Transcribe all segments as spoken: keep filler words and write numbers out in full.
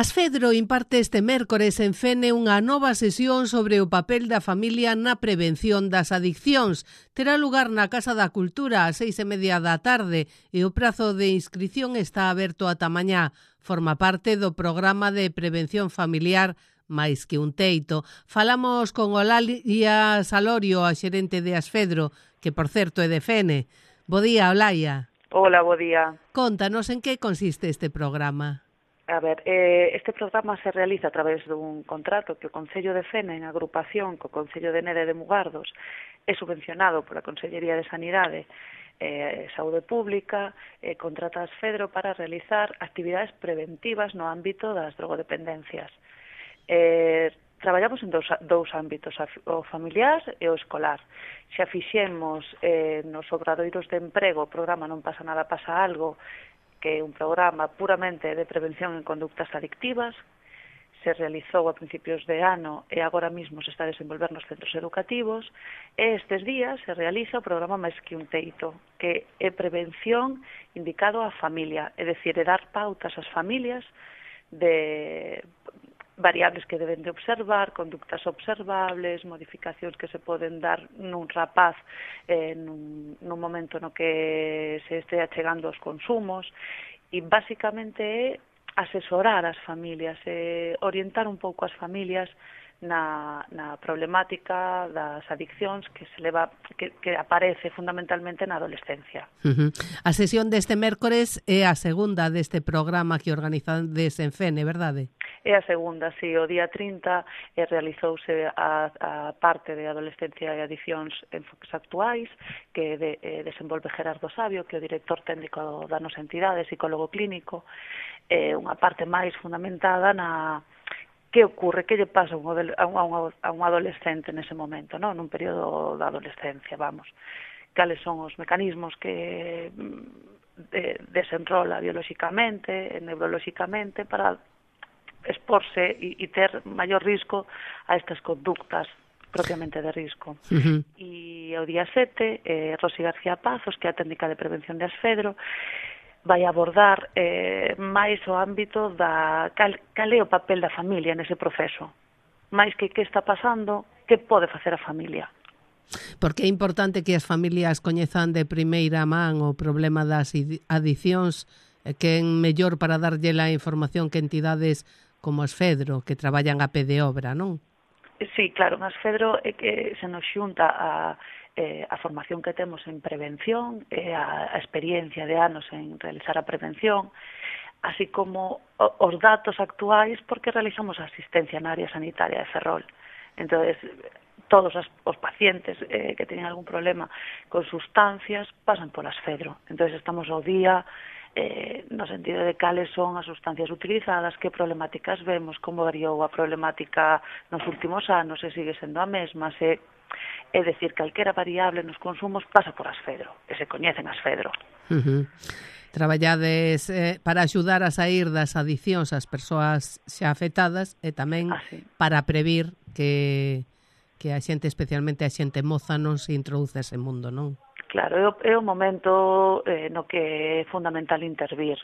Asfedro imparte este mércores en Fene unha nova sesión sobre o papel da familia na prevención das adiccións. Terá lugar na Casa da Cultura ás seis e media da tarde e o prazo de inscrición está aberto ata mañá. Forma parte do programa de prevención familiar Máis que un teito. Falamos con Olaia Salorio, a xerente de Asfedro, que por certo é de Fene. Bo día, Olaia. Hola, bo día. Contanos en que consiste este programa. A ver, eh, este programa se realiza a través dun contrato que o Concello de Fene, en agrupación co Concello de Nede de Mugardos, é subvencionado pola Consellería de Sanidade e eh, Saúde Pública, e eh, contrata a Asfedro para realizar actividades preventivas no ámbito das drogodependencias. Eh, traballamos en dous, dous ámbitos, o familiar e o escolar. Xa fixemos eh, nos obradoiros de emprego, o programa Non pasa nada, pasa algo, que é un programa puramente de prevención en conductas adictivas, se realizou a principios de ano e agora mesmo se está a desenvolver nos centros educativos, e estes días se realiza o programa Máis que un teito, que é prevención indicado á familia, é dicir, é dar pautas ás familias de variables que deben de observar, conductas observables, modificacións que se poden dar nun rapaz eh, nun, nun momento no que se este achegando aos consumos, e basicamente é asesorar as familias, eh, orientar un pouco as familias na, na problemática das adiccións que se leva que, que aparece fundamentalmente na adolescencia. Uh-huh. A sesión deste mércores é a segunda deste programa que organizades en Fene, verdade? É a segunda, sí, o día trinta eh, realizouse a, a parte de adolescencia e adiccións en foques actuais que de, eh, desenvolve Gerardo Sabio, que é o director técnico da nosa entidade, psicólogo clínico, eh, unha parte máis fundamentada na que ocorre, que lle pasa a un, a un, a un adolescente nese momento, non? Nun período da adolescencia, vamos. Cales son os mecanismos que de, desenrola biolóxicamente, neurolóxicamente, para exporse e, e ter maior risco a estas conductas propiamente de risco. Uh-huh. E o día sete, eh, Rosy García Pazos, que é a técnica de prevención de Asfedro, vai abordar eh, máis o ámbito da cal, cal é o papel da familia nese proceso. Máis que que está pasando, que pode facer a familia. Porque é importante que as familias coñezan de primeira man o problema das adiccións, que é mellor para darlle a información que entidades como Asfedro, que traballan a pé de obra, non? Sí, claro, en Asfedro é que se nos xunta a, eh, a formación que temos en prevención, e a, a experiencia de anos en realizar a prevención, así como o, os datos actuais, porque realizamos a asistencia na área sanitaria de Ferrol. Entonces, todos as, os pacientes eh, que teñen algún problema con sustancias pasan por Asfedro. Entonces, estamos ao día Eh, no sentido de cales son as sustancias utilizadas, que problemáticas vemos, como variou a problemática nos últimos anos, se sigue sendo a mesma, se, é dicir, calquera variable nos consumos pasa por Asfedro, e se coñecen Asfedro. Uh-huh. Traballades eh, para axudar a sair das adiccións ás persoas xa afectadas e tamén ah, sí. para previr que, que a xente, especialmente a xente moza, non se introduce ese mundo, non? Claro, é o, é o momento eh, no que é fundamental intervir,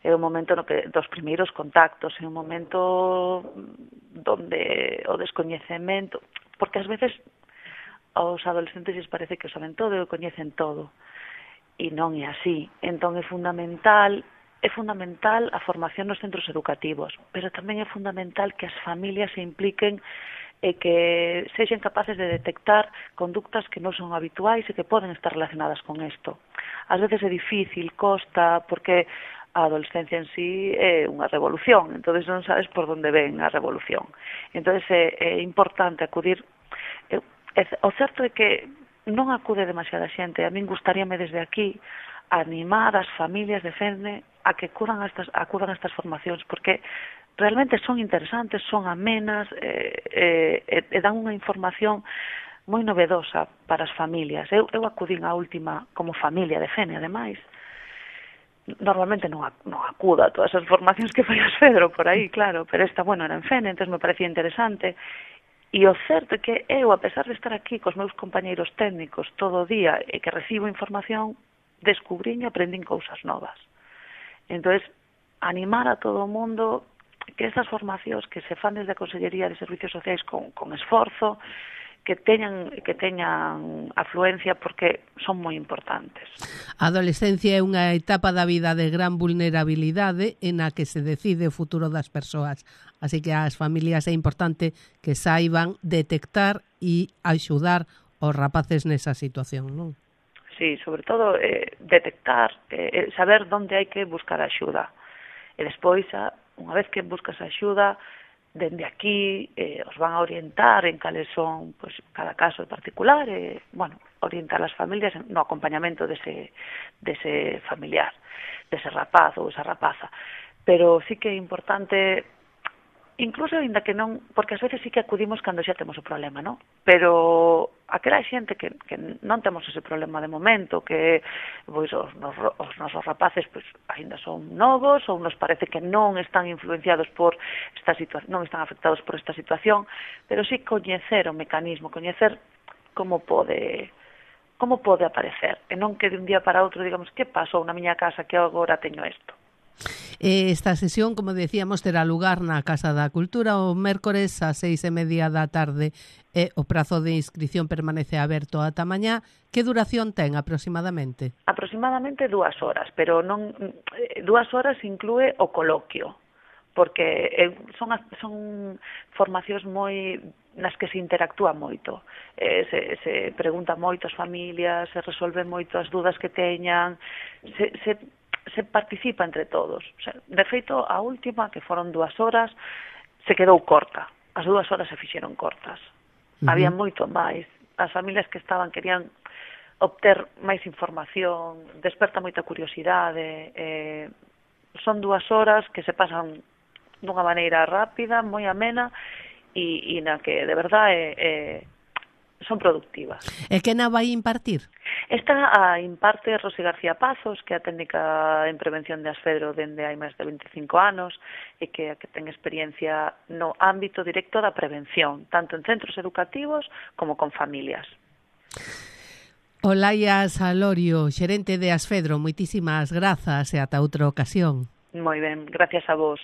é o momento no que dos primeiros contactos, é o momento donde o descoñecemento, porque ás veces aos adolescentes lles parece que o saben todo e o coñecen todo, e non é así. Entón é fundamental, é fundamental a formación nos centros educativos, pero tamén é fundamental que as familias se impliquen e que sexen capaces de detectar conductas que non son habituais e que poden estar relacionadas con isto. Ás veces é difícil, costa, porque a adolescencia en sí é unha revolución, entonces non sabes por onde ven a revolución. Entonces é, é importante acudir. É, é, o certo é que non acude demasiada xente, a min gustaríame desde aquí animar as familias de Fene a que acudan a estas, acudan a estas formacións, porque realmente son interesantes, son amenas e eh, eh, eh, dan unha información moi novedosa para as familias. Eu, eu acudín a última como familia de Fene, ademais. Normalmente non, non acudo a todas as formacións que fai Asfedro por aí, claro, pero esta, bueno, era en Fene, entón me parecía interesante. E o certo é que eu, a pesar de estar aquí cos meus compañeiros técnicos todo o día e que recibo información, descubrín e aprendín cousas novas. Entón, animar a todo o mundo que estas formacións que se fan desde a Consellería de Servicios Sociais con, con esforzo, que teñan que teñan afluencia porque son moi importantes. A adolescencia é unha etapa da vida de gran vulnerabilidade en a que se decide o futuro das persoas. Así que as familias é importante que saiban detectar e axudar os rapaces nesa situación, non? Sí, sobre todo eh, detectar, eh, saber onde hai que buscar axuda. E despois, unha vez que buscas axuda, dende aquí eh, os van a orientar en cales son pues, cada caso en particular, e, bueno, orientar as familias no acompañamento dese, dese familiar, dese rapaz ou esa rapaza. Pero sí que é importante, incluso ainda que non, porque ás veces sí que acudimos cando xa temos o problema, non? Pero aquela xente que, que non temos ese problema de momento, que pois, os, nos, os nosos rapaces pois, ainda son novos ou nos parece que non están influenciados por esta situación, non están afectados por esta situación, pero sí coñecer o mecanismo, coñecer como pode como pode aparecer, e non que de un día para outro digamos que pasou na miña casa que agora teño isto. Esta sesión, como decíamos, terá lugar na Casa da Cultura o mércores ás seis e media da tarde e o prazo de inscripción permanece aberto ata mañá. Que duración ten aproximadamente? Aproximadamente dúas horas, pero non dúas horas inclúe o coloquio, porque son, son formacións moi nas que se interactúa moito, eh, se, se pregunta moito as familias, se resolven moito as dúdas que teñan, se, se se participa entre todos. O sea, de feito, a última, que foron dúas horas, se quedou corta. As dúas horas se fixeron cortas. Uh-huh. Había moito máis. As familias que estaban querían obter máis información, desperta moita curiosidade. Eh, son dúas horas que se pasan dunha maneira rápida, moi amena, e, e na que, de verdade, eh, son productivas. E que na vai impartir? Esta a imparte Rosy García Pazos, que é a técnica en prevención de Asfedro dende hai máis de veinticinco anos e que, que ten experiencia no ámbito directo da prevención, tanto en centros educativos como con familias. Olaia Salorio, xerente de Asfedro, moitísimas grazas e ata outra ocasión. Moi ben, gracias a vos.